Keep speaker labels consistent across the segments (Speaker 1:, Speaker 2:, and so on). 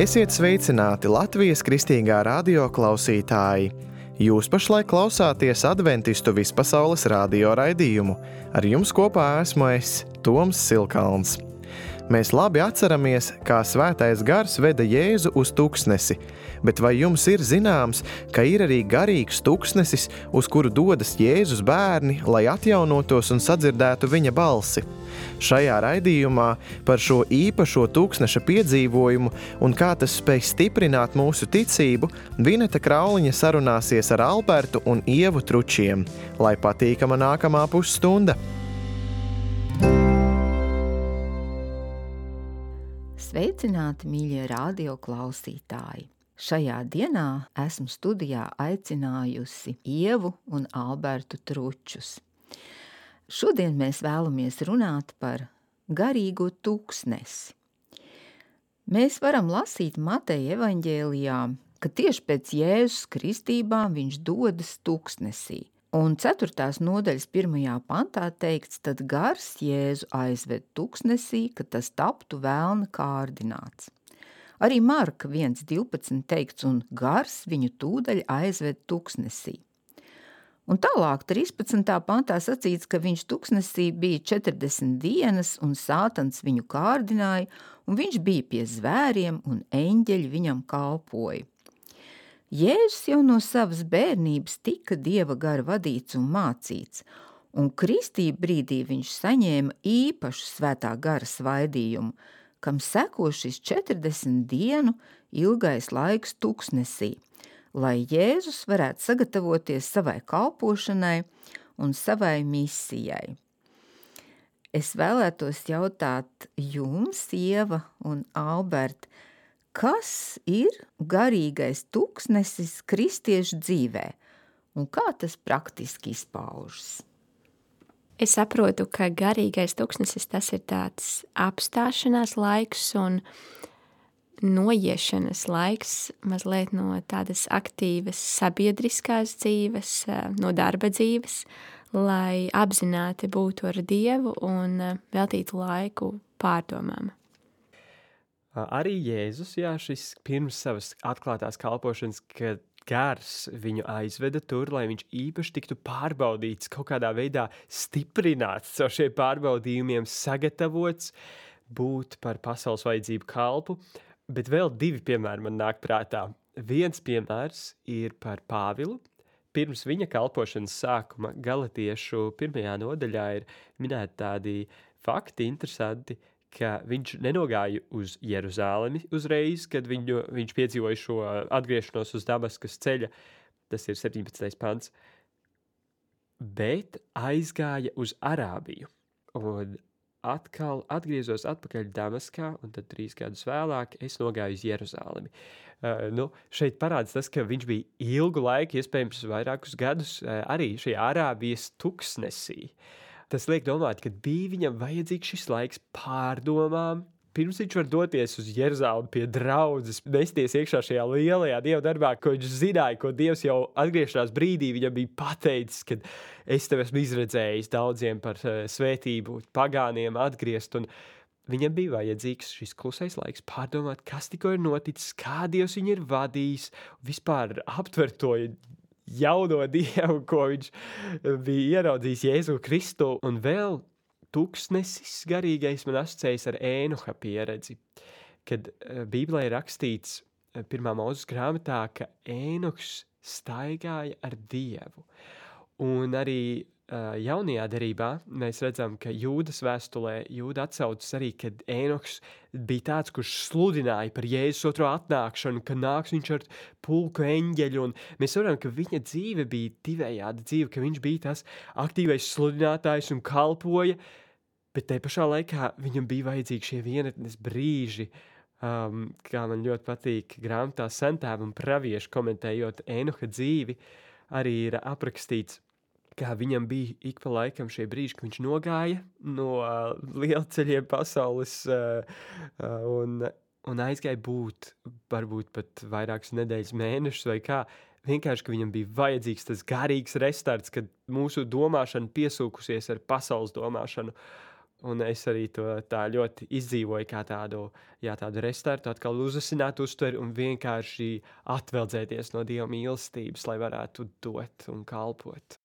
Speaker 1: Esiet sveicināti Latvijas Kristīgā radio klausītāji! Jūs pašlaik klausāties Adventistu vispasaules radio raidījumu. Ar jums kopā esmu es, Toms Silkalns. Mēs labi atceramies, kā Svētais Gars veda Jēzu uz tuksnesi, bet vai jums ir zināms, ka ir arī garīgs tuksnesis, uz kuru dodas Jēzus bērni, lai atjaunotos un sadzirdētu viņa balsi? Šajā raidījumā par šo īpašo tuksneša piedzīvojumu un kā tas spēj stiprināt mūsu ticību, Vineta Krauliņa sarunāsies ar Albertu un Ievu Tručiem. Lai patīkama nākamā pusstunda!
Speaker 2: Sveicināti, mīļie radio klausītāji! Šajā dienā esmu studijā aicinājusi Ievu un Albertu Tručus. Šodien mēs vēlamies runāt par garīgo tuksnesi. Mēs varam lasīt Mateja evaņģēlijā, ka tieši pēc Jēzus kristībām viņš dodas tuksnesī. Un 4. nodaļas 1. pantā teikts, tad gars Jēzu aizved tuksnesī, ka tas taptu vēlna kārdināts. Arī Marka 1.12 teikts, un gars viņu tūdaļ aizved tuksnesī. Un tālāk 13. pantā sacīts, ka viņš tuksnesī bija 40 dienas, un Sātans viņu kārdināja, un viņš bija pie zvēriem, un eņģeļi viņam kalpoja. Jēzus jau no savas bērnības tika Dieva gara vadīts un mācīts, un kristību brīdī viņš saņēma īpašu svētā gara svaidījumu, kam seko šis 40 dienu ilgais laiks tuksnesī, lai Jēzus varētu sagatavoties savai kalpošanai un savai misijai. Es vēlētos jautāt jums, Ieva un Alberta, kas ir garīgais tuksnesis kristiešu dzīvē un kā tas praktiski izpaužas?
Speaker 3: Es saprotu, ka garīgais tuksnesis tas ir tāds apstāšanās laiks un noiešanas laiks mazliet no tādas aktīvas sabiedriskās dzīves, no darba dzīves, lai apzināti būtu ar Dievu un veltītu laiku pārdomām.
Speaker 4: Arī Jēzus, šis pirms savas atklātās kalpošanas, kad gars viņu aizveda tur, lai viņš īpaši tiktu pārbaudīts, kaut kādā veidā stiprināts caur šiem pārbaudījumiem, sagatavots būt par pasaules vajadzību kalpu, bet vēl 2 piemēri man nāk prātā. Viens piemērs ir par Pāvilu. Pirms viņa kalpošanas sākuma Galatiešu 1. nodaļā ir minēti tādi fakti interesanti, ka viņš nenogāja uz Jeruzālemi uzreiz, kad viņš piedzīvoja šo atgriešanos uz Damaskas ceļa, tas ir 17. pants, bet aizgāja uz Arābiju un atkal atgriezos atpakaļ Damaskā, un tad 3 gadus vēlāk es nogāju uz Jeruzālemi. Šeit parāds tas, ka viņš bija ilgu laiku, iespējams vairākus gadus, arī šajā Arābijas tuksnesī. Tas liek domāt, ka bija viņam vajadzīgs šis laiks pārdomām, pirms viņš var doties uz Jeruzālemi pie draudzes, nesties iekšā šajā lielajā Dieva darbā, ko viņš zināja, ko Dievs jau atgriešanās brīdī viņam bija pateicis, kad es tev esmu izredzējis daudziem par svētību, pagāniem atgriezt, un viņam bija vajadzīgs šis klusais laiks pārdomāt, kas tikko ir noticis, kā Dievs viņu ir vadījis, vispār aptvert to jauno Dievu, ko viņš bija ieraudzījis Jēzu Kristu, un vēl tuksnesis garīgais man asociējas ar Ēnoha pieredzi, kad Bībelē ir rakstīts 1. Mūzes grāmatā, ka Ēnohs staigāja ar Dievu, un arī jaunajā derībā mēs redzam, ka Jūdas vēstulē Jūda atsaucas arī, kad Ēnohs bija tāds, kurš sludināja par Jēzus otro atnākšanu, ka nāks viņš ar pulku eņģeļu, un mēs varam, ka viņa dzīve bija divējāda dzīve, ka viņš bija tas aktīvais sludinātājs un kalpoja, bet te pašā laikā viņam bija vajadzīgi šie vienatnes brīži, kā man ļoti patīk grāmatā Sentēvi un pravieši komentējot Ēnoha dzīvi, arī ir aprakstīts, kā viņam bija ik pa laikam šie brīži, ka viņš nogāja no lielceļiem pasaules un aizgāja būt, varbūt pat vairākas nedēļas mēnešus vai kā, vienkārši, ka viņam bija vajadzīgs tas garīgs restarts, kad mūsu domāšana piesūkusies ar pasaules domāšanu, Un es arī to tā ļoti izdzīvoju kā tādu restartu, atkal uzasināt uztveri un vienkārši atveldzēties no Dieva mīlestības, lai varētu dot un kalpot.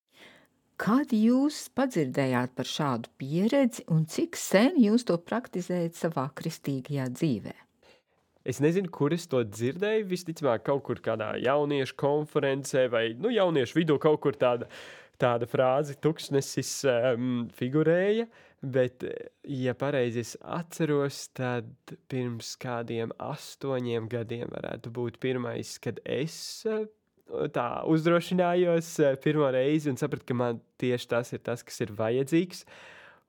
Speaker 2: Kad jūs padzirdējāt par šādu pieredzi un cik sen jūs to praktizējat savā kristīgajā dzīvē?
Speaker 4: Es nezinu, kur es to dzirdēju, visticamāk kaut kur kādā jauniešu konferencē vai jauniešu vidū kaut kur tāda frāze tuksnesis figurēja, bet, ja pareizi es atceros, tad pirms kādiem 8 gadiem varētu būt pirmais, kad es tā uzdrošinājos pirmo reizi un sapratu, ka man tieši tas ir tas, kas ir vajadzīgs.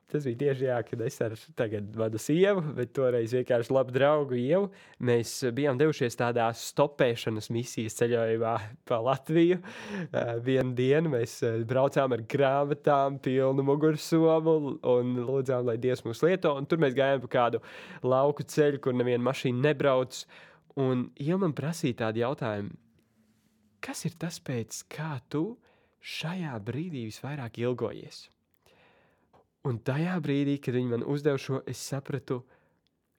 Speaker 4: Tas bija tieši kad es ar tagad manu sievu, bet toreiz vienkārši labu draugu Ievu. Mēs bijām devušies tādā stopēšanas misijas ceļojumā pa Latviju. Vienu dienu mēs braucām ar grāmatām, pilnu mugursomu un lūdzām, lai Dievs mūs lieto. Un tur mēs gājām pa kādu lauku ceļu, kur neviena mašīna nebrauc. Un Ieva man prasīja tādu jautājumu, kas ir tas, pēc kā tu šajā brīdī visvairāk ilgojies? Un tajā brīdī, kad viņi man uzdeva šo, es sapratu,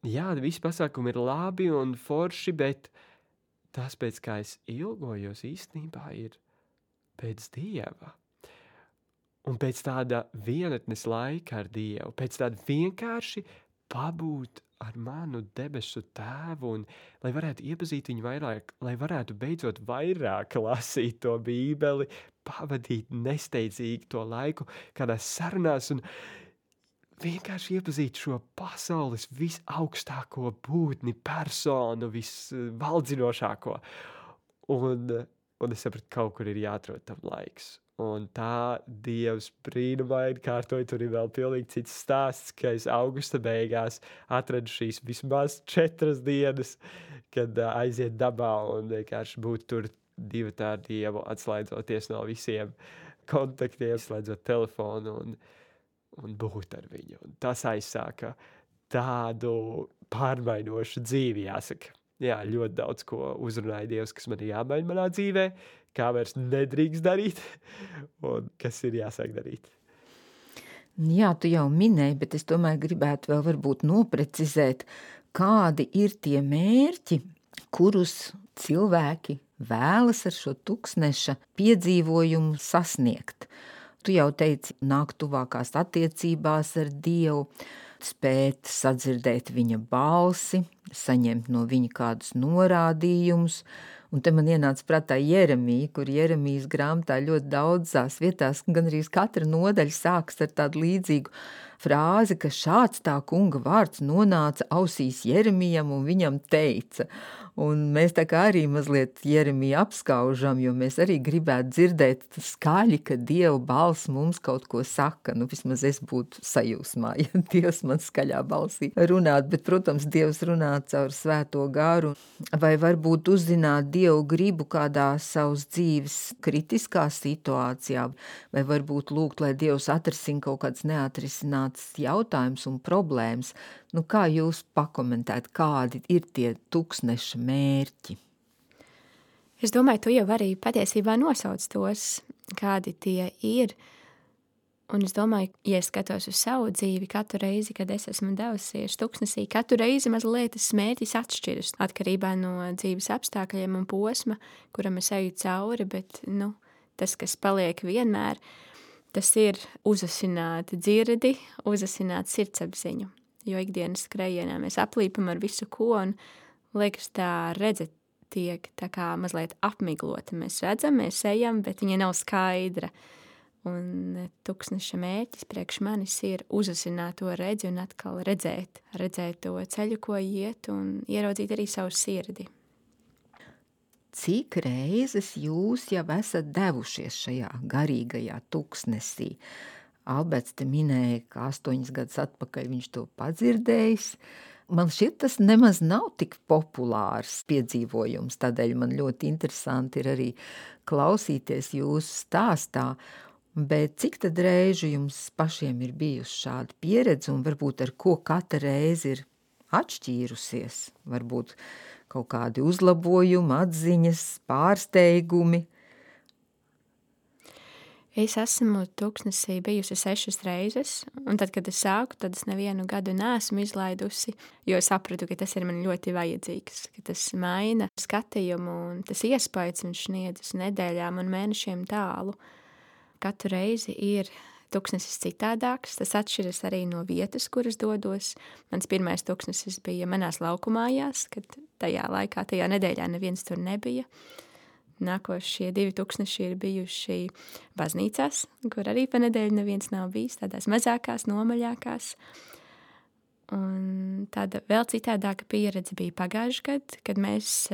Speaker 4: jā, visi pasākumi ir labi un forši, bet tas, pēc kā es ilgojos, īstenībā ir pēc Dieva. Un pēc tāda vienatnes laika ar Dievu, pēc tāda vienkārši pabūt ar manu debesu tēvu un lai varētu iepazīt viņu vairāk, lai varētu beidzot vairāk lasīt to Bībeli, pavadīt nesteidzīgi to laiku kādās sarunās un vienkārši iepazīt šo pasaules visaugstāko būtni, personu, visvaldzinošāko. Un es sapratu, kaut kur ir jāatrod tam laiks. Un tā Dievs brīnumaini kārtoja, tur ir vēl pilnīgi cits stāsts, ka es augusta beigās atradu šīs vismaz 4 dienas, kad aiziet dabā un vienkārši būt tur divi ar Dievu, atslēdzoties no visiem kontaktiem, slēdzot telefonu un būt ar viņu. Un tas aizsāka tādu pārmainošu dzīvi, jāsaka. Jā, ļoti daudz ko uzrunāja Dievs, kas man ir jāmaina manā dzīvē, kā vairs nedrīkst darīt un kas ir jāsāk darīt.
Speaker 2: Jā, tu jau minēji, bet es tomēr gribētu vēl varbūt noprecizēt, kādi ir tie mērķi, kurus cilvēki vēlas ar šo tuksneša piedzīvojumu sasniegt. Tu jau teici, nāk tuvākās attiecībās ar Dievu, spēt sadzirdēt viņa balsi, saņemt no viņa kādus norādījumus. Un te man ienāca prātā Jeremija, kur Jeremijas grāmatā ļoti daudzās vietās, gan arī katra nodaļa sākas ar tādu līdzīgu frāzi, ka šāds tā kunga vārds nonāca ausīs Jeremijam un viņam teica. Un mēs tā kā arī mazliet Jeremiju apskaužam, jo mēs arī gribētu dzirdēt skaļi, ka Dieva balss mums kaut ko saka. Vismaz es būtu sajūsmā, ja Dievs man skaļā balsī runāt, bet, protams, Dievs runā caur svēto garu. Vai varbūt uzzināt Dievu gribu kādā savas dzīves kritiskā situācijā, vai varbūt lūgt, lai Dievs atrisina kaut kāds neatrisināts jautājums un problēmas. Kā jūs pakomentēt, kādi ir tie tuksneša mērķi?
Speaker 3: Es domāju, tu jau arī patiesībā nosauc tos, kādi tie ir. Un es domāju, ja es skatos uz savu dzīvi, katru reizi, kad es esmu devusies tuksnesī, katru reizi mazliet tas mērķis atšķiras atkarībā no dzīves apstākļiem un posma, kuram es eju cauri, bet tas, kas paliek vienmēr, tas ir uzasināt dzirdi, uzasināt sirdsapziņu. Jo ikdienas skrējienā mēs aplīpam ar visu ko un liekas tā redze tiek tā kā mazliet apmiglota. Mēs redzam, mēs ejam, bet viņa nav skaidra. Un tuksneša mērķis priekš manis ir uzasināt to redzi un atkal redzēt to ceļu, ko iet un ieraudzīt arī savu sirdi.
Speaker 2: Cik reizes jūs jau esat devušies šajā garīgajā tuksnesī? Alberts te minēja, ka 8 gadus atpakaļ viņš to padzirdējis. Man šķiet, tas nemaz nav tik populārs piedzīvojums, tādēļ man ļoti interesanti ir arī klausīties jūsu stāstā. Bet cik tad reižu jums pašiem ir bijusi šāda pieredze un varbūt ar ko katra reize ir atšķīrusies? Varbūt kaut kādi uzlabojumi, atziņas, pārsteigumi?
Speaker 3: Es esmu tūkstnesī bijusi 6 reizes, un tad, kad es sāku, tad es nevienu gadu neesmu izlaidusi, jo sapratu, ka tas ir man ļoti vajadzīgs, ka tas maina skatījumu un tas iespējas viņš sniedz uz nedēļām un mēnešiem tālu. Katru reizi ir tūkstnesis citādāks, tas atšķiras arī no vietas, kuras dodos. Mans pirmais tūkstnesis bija manās laukumājās, kad tajā laikā, tajā nedēļā neviens tur nebija. Nākošie 2 tūkstneši ir bijuši baznīcās, kur arī pa nedēļu neviens nav bijis, tādās mazākās, nomaļākās. Un tāda vēl citādāka pieredze bija pagājuši gadu, kad mēs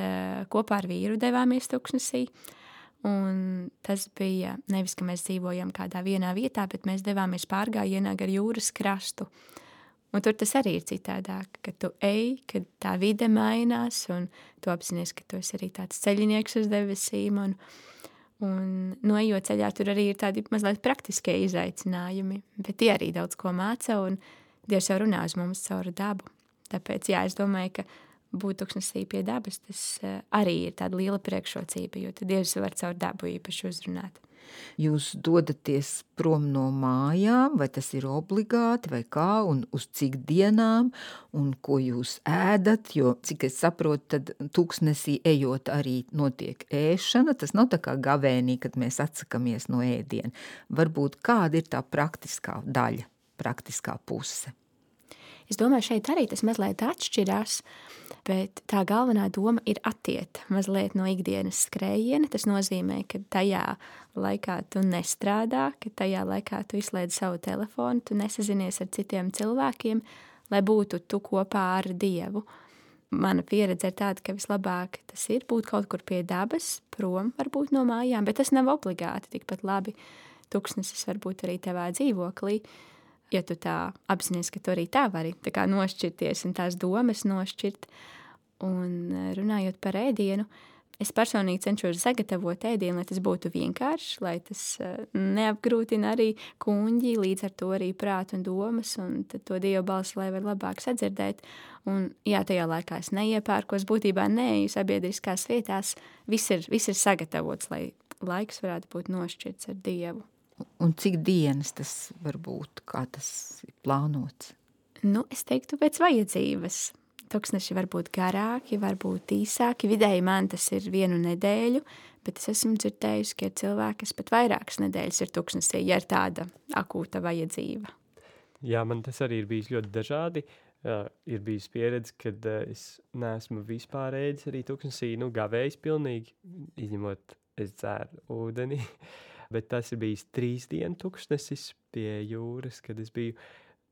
Speaker 3: kopā ar vīru devāmies tūkstnesī. Un tas bija nevis, ka mēs dzīvojam kādā vienā vietā, bet mēs devāmies pārgājienā gar jūras krastu. Un tur tas arī ir citādāk, ka tu ej, kad tā vide mainās, un tu apzinies, ka tu esi arī tāds ceļinieks uz debesīm, un noejot ceļā tur arī ir tādi mazliet praktiskie izaicinājumi, bet tie arī daudz ko māca, un Dievs jau runā uz mums caur dabu. Tāpēc, jā, es domāju, ka būt tūkstnesī pie dabas, tas arī ir tāda liela priekšrocība, jo tad Dievs var caur dabu īpaši uzrunāt.
Speaker 2: Jūs dodaties prom no mājām, vai tas ir obligāti, vai kā, un uz cik dienām, un ko jūs ēdat, jo, cik es saprotu, tad tūkstnesī ejot arī notiek ēšana, tas nav tā kā gavēnī, kad mēs atsakamies no ēdiena. Varbūt kāda ir tā praktiskā daļa, praktiskā puse?
Speaker 3: Es domāju, šeit arī tas mazliet atšķirās, bet tā galvenā doma ir attiet mazliet no ikdienas skrējiena. Tas nozīmē, ka tajā laikā tu nestrādā, ka tajā laikā tu izslēdz savu telefonu, tu nesazinies ar citiem cilvēkiem, lai būtu tu kopā ar Dievu. Mana pieredze ir tāda, ka vislabāk tas ir būt kaut kur pie dabas, prom varbūt no mājām, bet tas nav obligāti tikpat labi. Tūkstnesis var būt arī tavā dzīvoklī. Ja tu tā apzinies, ka tu arī tā vari tā kā nošķirties un tās domas nošķirt. Un runājot par ēdienu, es personīgi cenšos sagatavot ēdienu, lai tas būtu vienkāršs, lai tas neapgrūtina arī kuņģi, līdz ar to arī prātu un domas, un tad to Dieva balsi, lai var labāk sadzirdēt. Un jā, tajā laikā es neiepērkos, būtībā neeju sabiedriskās vietās, viss ir sagatavots, lai laiks varētu būt nošķirts ar Dievu.
Speaker 2: Un cik dienas tas var būt, kā tas ir plānots?
Speaker 3: Es teiktu pēc vajadzības. Tūkstneši var būt garāki, var būt īsāki. Vidēji man tas ir 1 nedēļu, bet es esmu dzirdējusi, ka ir cilvēki, kas pat vairākas nedēļas ir tūkstnesī, ja ir tāda akūta vajadzība.
Speaker 4: Jā, man tas arī ir bijis ļoti dažādi. Ir bijis pieredze, kad es neesmu vispār ēdis arī tūkstnesī, gavējis pilnīgi, izņemot es dzēru ūdeni. Bet tas ir bijis 3 dienu tūkstnesis pie jūras, kad es biju.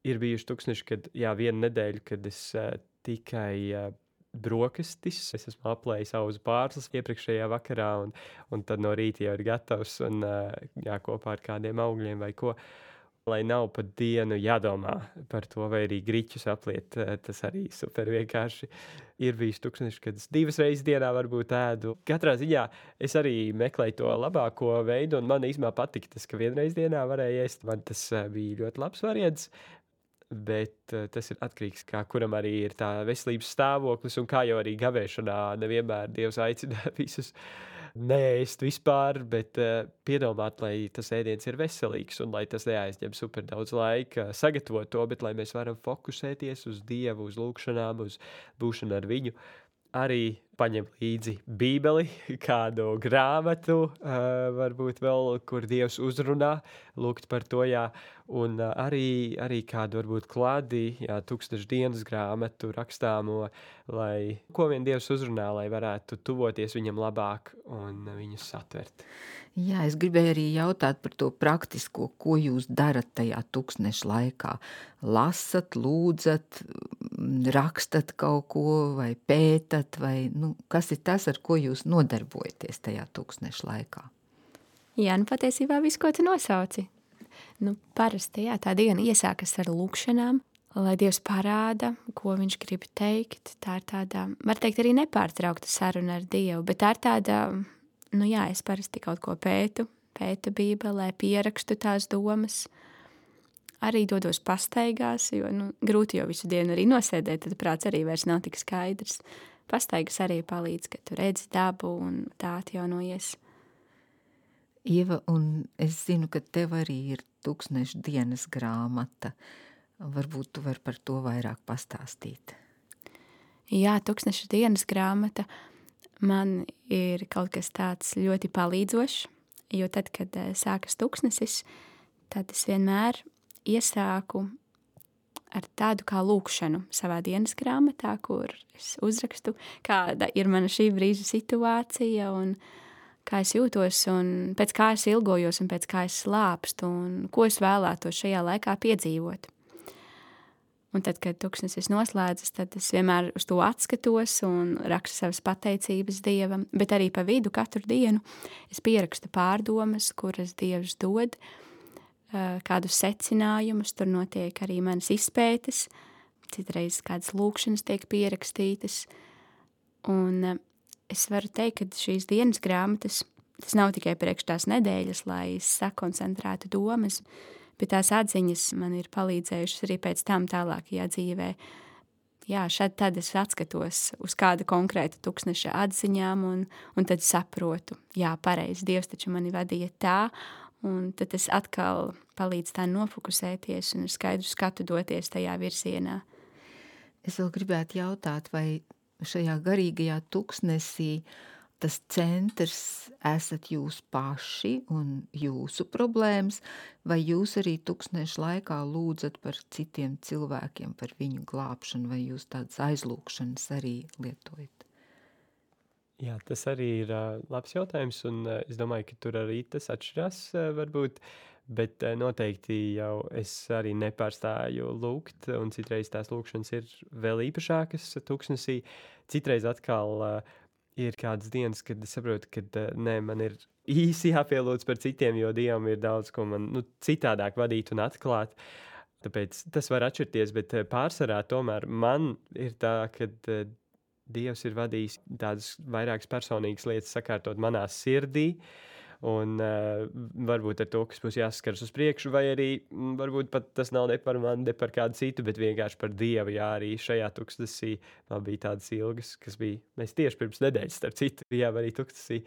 Speaker 4: Ir bijuši tūkstneši, kad, 1 nedēļu, kad es tikai brokastis, es esmu aplējis auzu pārslas iepriekšējā vakarā, un tad no rīta jau ir gatavs, un kopā ar kādiem augļiem vai ko. Lai nav pat dienu jādomā par to, vai arī griķus apliet, tas arī super vienkārši. Ir bijis tūkstneši, kad es 2 reizes dienā varbūt ēdu. Katrā ziņā es arī meklēju to labāko veidu, un man īstenībā patika tas, ka 1 reizi dienā varēja ēst. Man tas bija ļoti labs variants, bet tas ir atkarīgs, kā kuram arī ir tā veselības stāvoklis, un kā jau arī gavēšanā nevienmēr Dievs aicina visus neēst vispār, bet piedomāt, lai tas ēdiens ir veselīgs un lai tas neaizņem super daudz laika sagatavot to, bet lai mēs varam fokusēties uz Dievu, uz lūkšanām, uz būšanu ar viņu. Arī paņem līdzi bībeli, kādu grāmatu, varbūt vēl, kur Dievs uzrunā, lūgt par to, un arī kādu varbūt kladi, 1000 dienas grāmatu rakstāmo, lai ko vien Dievs uzrunā, lai varētu tuvoties viņam labāk un viņus satvert.
Speaker 2: Jā, es gribēju arī jautāt par to praktisko, ko jūs darat tajā tūkstneša laikā. Lasat, lūdzat, rakstat kaut ko vai pētat, vai kas ir tas, ar ko jūs nodarbojaties tajā tūkstneša laikā?
Speaker 3: Jā, patiesībā viss, ko tu nosauci. Parasti, tā diena iesākas ar lūkšanām, lai Dievs parāda, ko viņš grib teikt. Tā ir tāda, var teikt, arī nepārtraukta saruna ar Dievu, bet tā ir tāda, es parasti kaut ko pētu bībelē, pierakstu tās domas. Arī dodos pastaigās, jo grūti jau visu dienu arī nosēdēt, tad prāts arī vairs nav tik skaidrs. Pastaigas arī palīdz, ka tu redzi dabu un tā atjaunojies.
Speaker 2: Ieva, un es zinu, ka tev arī ir tūkstneša dienas grāmata. Varbūt tu vari par to vairāk pastāstīt.
Speaker 3: Jā, tūkstneša dienas grāmata man ir kaut kas tāds ļoti palīdzošs, jo tad, kad sākas tūkstnesis, tad es vienmēr iesāku ar tādu kā lūkšanu savā dienas grāmatā, kur es uzrakstu, kāda ir mana šī brīža situācija un kā es jūtos un pēc kā es ilgojos un pēc kā es slāpstu un ko es vēlētos šajā laikā piedzīvot. Un tad, kad tūkstnesis noslēdzas, tad es vienmēr uz to atskatos un rakstu savas pateicības Dievam, bet arī pa vidu katru dienu es pierakstu pārdomas, kuras Dievs dod, kādus secinājumus, tur notiek arī manas izpētes, citreiz kādas lūkšanas tiek pierakstītas. Un es varu teikt, ka šīs dienas grāmatas, tas nav tikai priekš tās nedēļas, lai es sakoncentrētu domas, bet tās atziņas man ir palīdzējušas arī pēc tam tālākajā dzīvē. Jā, šad tad es atskatos uz kādu konkrētu tūkstneša atziņām un tad saprotu, jā, pareizi, Dievs taču mani vadīja tā, un tad tas atkal palīdz tā nofokusēties un ar skaidru skatu doties tajā virzienā.
Speaker 2: Es vēl gribētu jautāt, vai šajā garīgajā tūkstnesī tas centrs esat jūs paši un jūsu problēmas, vai jūs arī tūkstneša laikā lūdzat par citiem cilvēkiem, par viņu glābšanu, vai jūs tādas aizlūkšanas arī lietojat?
Speaker 4: Jā, tas arī ir labs jautājums, un es domāju, ka tur arī tas atšķirās varbūt, bet noteikti jau es arī nepārstāju lūgt, un citreiz tās lūkšanas ir vēl īpašākas tūkstnesī. Citreiz atkal ir kādas dienas, kad es saprotu, ka man ir īsi jāpielūdz par citiem, jo Dievam ir daudz, ko man citādāk vadīt un atklāt. Tāpēc tas var atšķirties, bet pārsvarā tomēr man ir tā, ka Dievs ir vadījis tādas vairākas personīgas lietas sakārtot manā sirdī, un varbūt ar to, kas būs jāsaskars uz priekšu, vai arī varbūt pat tas nav ne par mani, ne par kādu citu, bet vienkārši par Dievu. Jā, arī šajā tūkstnesī man bija tādas ilgas, kas bija, mēs tieši pirms nedēļas, starp citu, bijām arī tūkstnesī,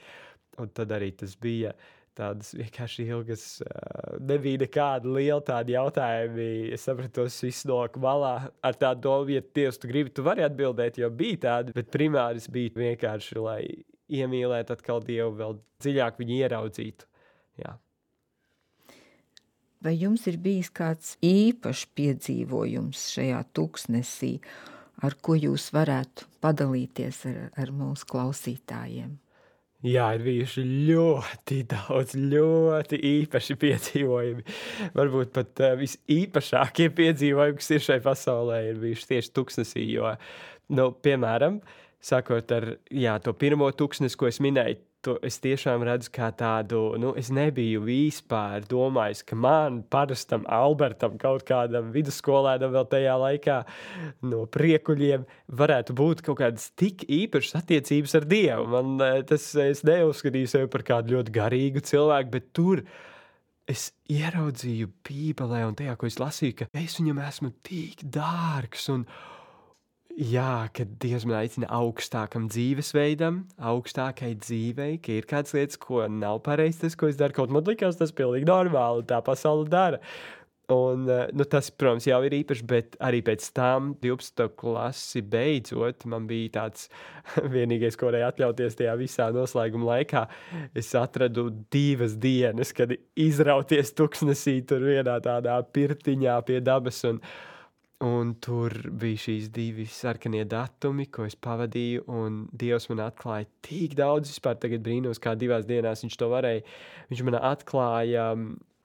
Speaker 4: un tad arī tas bija tādas vienkārši ilgas, nebija nekāda liela tāda jautājumi. Es sapratu, tos viss nolika malā ar tādu domu, ja Dievs tu gribi, tu vari atbildēt, jo bija tāda, bet primāris bija vienkārši, lai iemīlētu atkal Dievu, vēl dziļāk viņu ieraudzītu. Jā.
Speaker 2: Vai jums ir bijis kāds īpašs piedzīvojums šajā tūkstnesī, ar ko jūs varētu padalīties ar mūsu klausītājiem?
Speaker 4: Jā, ir bijuši ļoti daudz, ļoti īpaši piedzīvojumi. Varbūt pat visīpašākie piedzīvojumi, kas ir šai pasaulē, ir bijuši tieši tūkstnesī, jo, piemēram, sākot ar to pirmo tūkstnesi, ko es minēju, to es tiešām redzu kā tādu, es nebiju vispār domājis, ka man, parastam Albertam, kaut kādam vidusskolēnam vēl tajā laikā no priekuļiem varētu būt kaut kādas tik īpašas attiecības ar Dievu. Es neuzskatīju sevi par kādu ļoti garīgu cilvēku, bet tur es ieraudzīju Bībelē un tajā, ko es lasīju, ka es viņam esmu tik dārgs un jā, kad Dievs man aicina augstākam dzīvesveidam, augstākai dzīvei, ka ir kādas lietas, ko nav pareizi tas, ko es daru, kaut man likās, tas pilnīgi normāli, tā pasaule dara. Un tas, protams, jau ir īpaši, bet arī pēc tam 12. klasi beidzot, man bija tāds vienīgais, ko varēja atļauties tajā visā noslēguma laikā. Es atradu 2 dienas, kad izrauties tūkstnesī tur vienā tādā pirtiņā pie dabas un tur bija šīs 2 sarkanie datumi, ko es pavadīju, un Dievs man atklāja tik daudz, vispār tagad brīnos, kā 2 dienās viņš to varēja. Viņš man atklāja,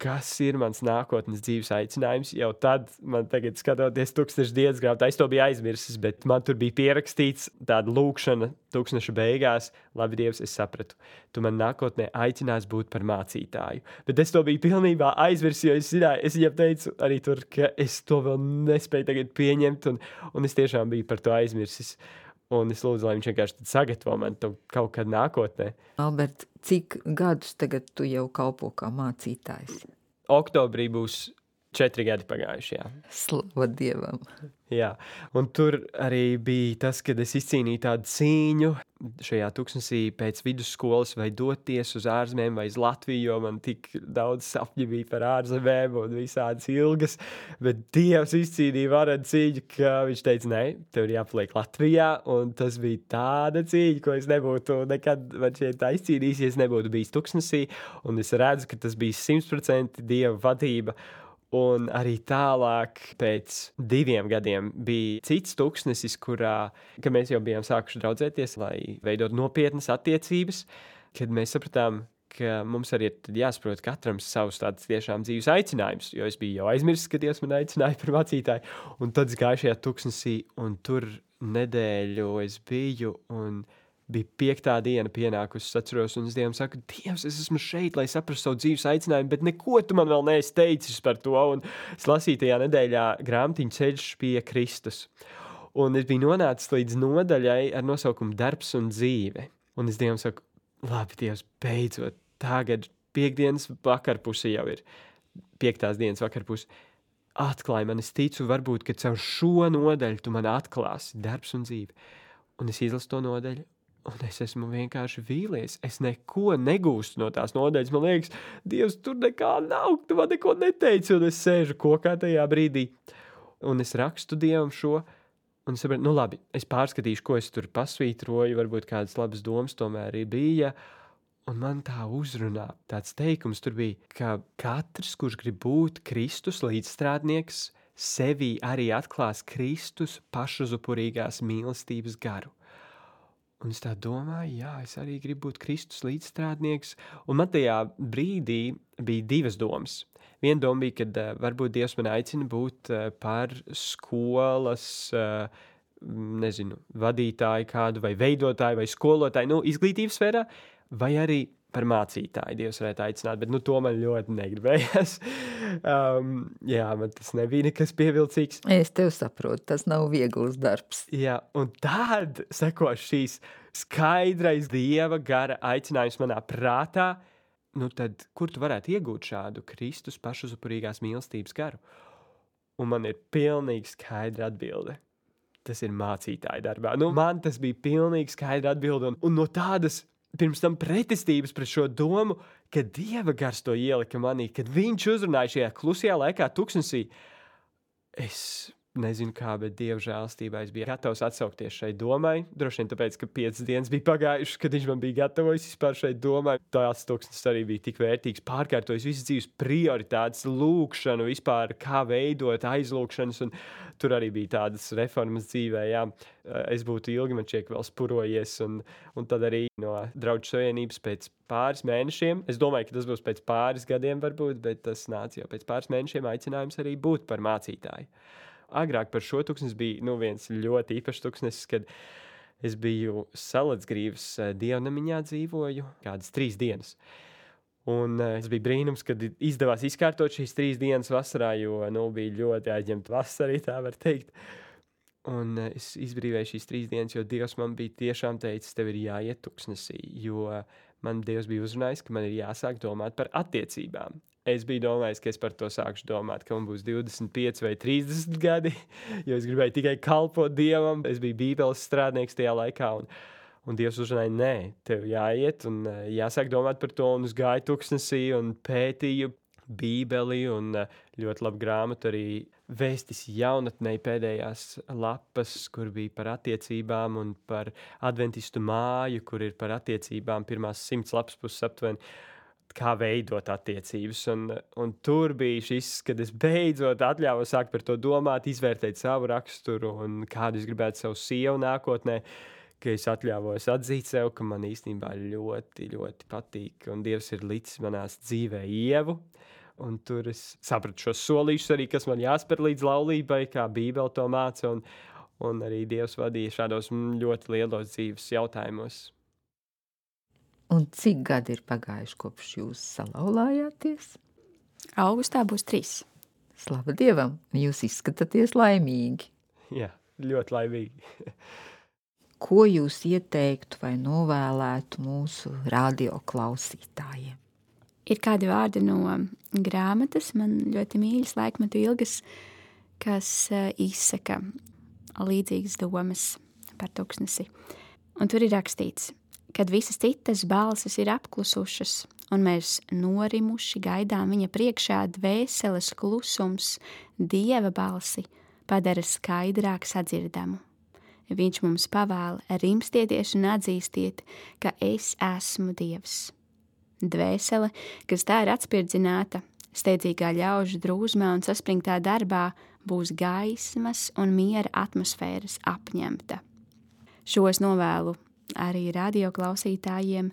Speaker 4: kas ir mans nākotnes dzīves aicinājums. Jau tad, man tagad skatoties tūkstneša dienas grāmatā, es to biju aizmirsis, bet man tur bija pierakstīts tāda lūkšana tūkstneša beigās. Labi, Dievs, es sapratu, tu man nākotnē aicinās būt par mācītāju. Bet es to biju pilnībā aizmirsis, jo es viņam teicu arī tur, ka es to vēl nespēju tagad pieņemt, un es tiešām biju par to aizmirsis. Un es lūdzu, lai viņš vienkārši sagatavo man to kaut kad nākotnē.
Speaker 2: Albert, cik gadus tagad tu jau kalpo kā mācītājs?
Speaker 4: Oktobrī būs 4 gadi pagājuši, jā.
Speaker 2: Slava Dievam!
Speaker 4: Jā, un tur arī bija tas, kad es izcīnīju tādu cīņu šajā tuksnesī pēc vidusskolas, vai doties uz ārzemēm vai uz Latviju, jo man tik daudz sapņu bija par ārzemēm un visādas ilgas, bet Dievs izcīnīja varenu cīņu, ka viņš teica, nē, tev ir jāpaliek Latvijā, un tas bija tāda cīņa, ko es nebūtu nekad man šeit tā izcīnījis, ja es nebūtu bijis tuksnesī, un es redzu, ka tas bija 100% Dieva vadība. Un arī tālāk pēc 2 gadiem bija cits tuksnesis, kurā, ka mēs jau bijām sākuši draudzēties, lai veidot nopietnas attiecības, kad mēs sapratām, ka mums arī ir jāsaprot katram savus tāds tiešām dzīves aicinājums, jo es biju jau aizmirsis, ka Dievs man aicināja par mācītāju, un tad es gāju šajā tuksnesī, un tur nedēļu es biju, un bija 5. diena pienākusi, es atceros, un es Dievam saku, Dievs, es esmu šeit, lai saprastu savu dzīves aicinājumu, bet neko tu man vēl neesi teicis par to, un es lasīju tajā nedēļā grāmatiņu Ceļš pie Kristus. Un es biju nonācis līdz nodaļai ar nosaukumu Darbs un dzīve. Un es Dievam saku, labi, Dievs, beidzot, tagad 5 vakarpuse jau ir, 5. dienas vakarpuse. Atklāj man, es ticu, varbūt, ka caur šo nodaļu tu man atklāsi darbs un dzīve. Un es izlasu to nodaļu, un es esmu vienkārši vīlies. Es neko negūstu no tās nodaļas. Man liekas, Dievs, tur nekā nav, tu man neko neteici, un es sēžu kokā tajā brīdī. Un es rakstu Dievam šo, un es saprotu, nu labi, es pārskatīšu, ko es tur pasvītroju, varbūt kādas labas domas tomēr bija. Un man tā uzrunā, tāds teikums tur bija, ka katrs, kurš grib būt Kristus līdzstrādnieks, sevī arī atklās Kristus pašuzupurīgās mīlestības garu. Un es tā domāju, jā, es arī gribu būt Kristus līdzstrādnieks. Un man tajā brīdī bija 2 domas. Viena doma bija, ka varbūt Dievs man aicina būt par skolas, vadītāju kādu, vai veidotāju, vai skolotāju, izglītības sfērā, vai arī par mācītāju Dievs varētu aicināt, bet to man ļoti negribējās. Jā, man tas nebija nekas pievilcīgs.
Speaker 2: Es tev saprotu, tas nav viegls darbs.
Speaker 4: Jā, un tad seko šīs skaidrais Dieva gara aicinājums manā prātā, tad kur tu varētu iegūt šādu Kristus pašuzupurīgās mīlestības garu? Un man ir pilnīgi skaidra atbilde. Tas ir mācītāja darbā. Man tas bija pilnīgi skaidra atbilde, un no tādas pirms tam pretestības pret šo domu, ka Dieva gars to ielika manī, kad viņš uzrunāja šajā klusajā laikā tuksnesī. Es nezinu kā, bet Dieva žēlastībā es biju gatavs atsaukties šai domai. Droši vien tāpēc, ka 5 dienas bija pagājušas, kad viņš man bija gatavojis vispār šai domai. Tās tuksnes arī bija tik vērtīgs, pārkārtojis visas dzīves prioritātes, lūkšanu, vispār kā veidot aizlūkšanas, un tur arī bija tādas reformas dzīvē, jā. Es būtu ilgi man šķiet vēl spurojies, un tad arī no Draudžu savienības pēc pāris mēnešiem, es domāju, ka tas būs pēc pāris gadiem varbūt, bet tas nāca jau pēc pāris mēnešiem aicinājums arī būt par mācītāju. Agrāk par šo tuksnes bija viens ļoti īpašs tuksnesis, kad es biju Salacgrīvas dievnamiņā dzīvoju kādas 3 dienas. Un es biju brīnums, kad izdevās izkārtot šīs 3 dienas vasarā, jo bija ļoti aizņemta vasara, tā var teikt. Un es izbrīvēju šīs 3 dienas, jo Dievs man bija tiešām teicis, tev ir jāiet tuksnesī, jo man Dievs bija uzrunājis, ka man ir jāsāk domāt par attiecībām. Es biju domājis, ka es par to sākšu domāt, ka man būs 25 vai 30 gadi, jo es gribēju tikai kalpot Dievam. Es biju bībeles strādnieks tajā laikā, un Dievs uzrunāja, nē, tev jāiet un jāsāk domāt par to, un es gāju tuksnesī un pētīju bībeli, un ļoti labu grāmatu arī Vēstis jaunatnei pēdējās lapas, kur bija par attiecībām, un par adventistu māju, kur ir par attiecībām pirmās 100 lapas puses aptuveni, kā veidot attiecības, un tur bija šis, kad es beidzot atļāvu sākt par to domāt, izvērtēt savu raksturu un kādu es gribētu savu sievu nākotnē, ka es atļāvos atzīt sev, ka man īstenībā ļoti, ļoti patīk, un Dievs ir licis manās dzīvē Ievu, un tur es sapratu šos solīšus arī, kas man jāspēr līdz laulībai, kā Bībele to māca, un arī Dievs vadīja šādos ļoti lielos dzīves jautājumos.
Speaker 2: Un cik gadi ir pagājuši, kopš jūs salauzāties?
Speaker 3: Augustā būs 3.
Speaker 2: Slava Dievam, jūs izskatāties laimīgi.
Speaker 4: Jā, ļoti laimīgi.
Speaker 2: Ko jūs ieteiktu vai novēlētu mūsu radio klausītājiem?
Speaker 3: Ir kādi vārdi no grāmatas, man ļoti mīļas laikmetu ilgas, kas izsaka līdzīgas domas par tuksnesi. Un tur ir rakstīts, kad visas citas balsis ir apklusušas, un mēs norimuši gaidām viņa priekšā, dvēseles klusums Dieva balsi padara skaidrāk sadzirdamu. Viņš mums pavēla rimstieties un atzīstiet, ka es esmu Dievs. Dvēsele, kas tā ir atspirdzināta, steidzīgā ļaužu drūzmā un saspringtā darbā, būs gaismas un miera atmosfēras apņemta. Šos novēlu arī radioklausītājiem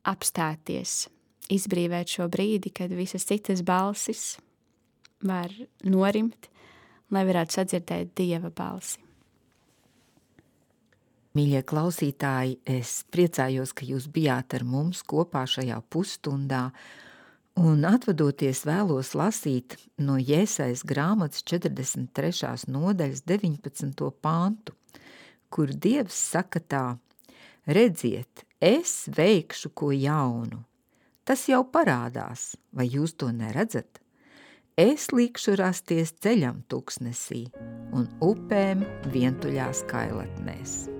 Speaker 3: apstāties, izbrīvēt šo brīdi, kad visas citas balsis var norimt, lai varētu sadzirdēt Dieva balsi.
Speaker 2: Mīļie klausītāji, es priecājos, ka jūs bijāt ar mums kopā šajā pusstundā, un atvadoties vēlos lasīt no Jēsajas grāmatas 43. nodaļas 19. pantu, kur Dievs saka tā: redziet, es veikšu ko jaunu. Tas jau parādās, vai jūs to neredzat? Es likšu rasties ceļam tuksnesī un upēm vientuļās kailatnēs.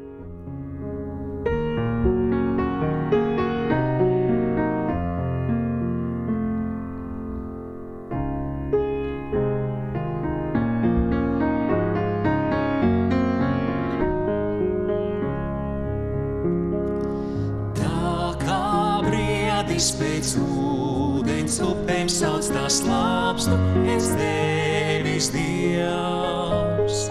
Speaker 5: Pēc ūdens upēm sauc tās slāpstu, es Tevis Dievs.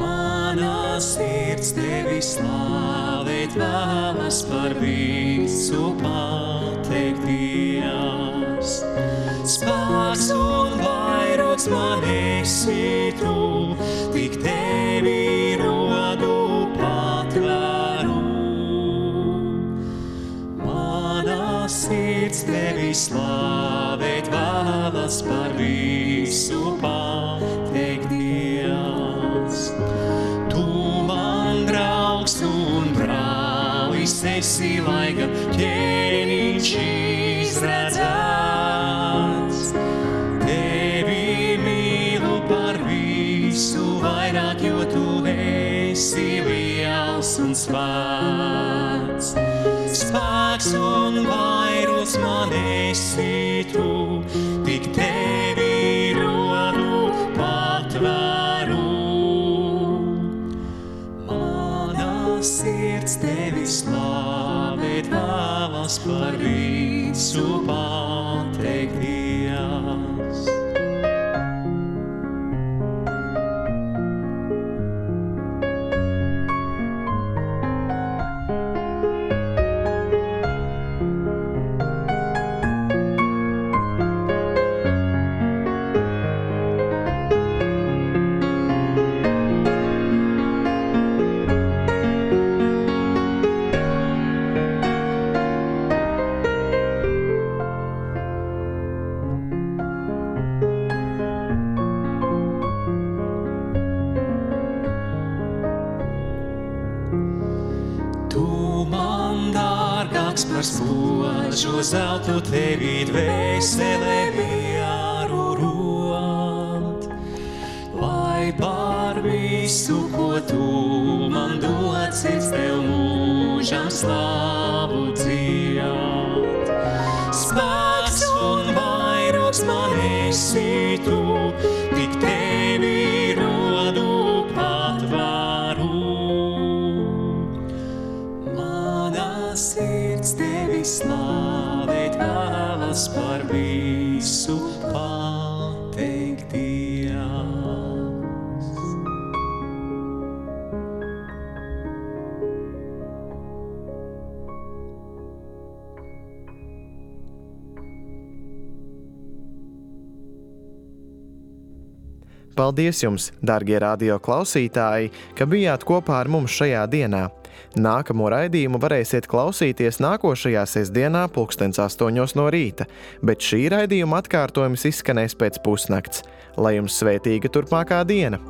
Speaker 5: Mana sirds Tevi slāvēt vēlas, par visu pateikt Dievs. Spēks un vairogs man esi Tu, tik Tevi rodu patvēru. Sirds Tevi slāvēt vēlas, par visu pateikt Dievs. Tu man draugs un brālis esi, laika ķēniņš izredzēts. Tevi mīlu par visu vairāk, jo Tu esi liels un svēts. Spēks un vairogs man esi Tu, tik Tevi rodu patvēru. Mana sirds Tevi slāvēt vēlas, par visu pateikt Dievs. Par spožo zeltu Tevi dvēselē mieru rod, lai par visu, ko Tu man dod, sirds Tev mūžam slāvu dzied. Spēks un vairogs man esi Tu, tik Tevi rodu patvēru. Sirds Tevi slāvēt vēlas, par visu pateikt Dievs.
Speaker 1: Paldies jums, darbie radio klausītāji, ka bijāt kopā ar mums šajā dienā. Nākamo raidījumu varēsiet klausīties nākošajā sestdienā 8:00 no rīta, bet šī raidījuma atkārtojums izskanēs pēc pusnakts. Lai jums svētīga turpmākā diena!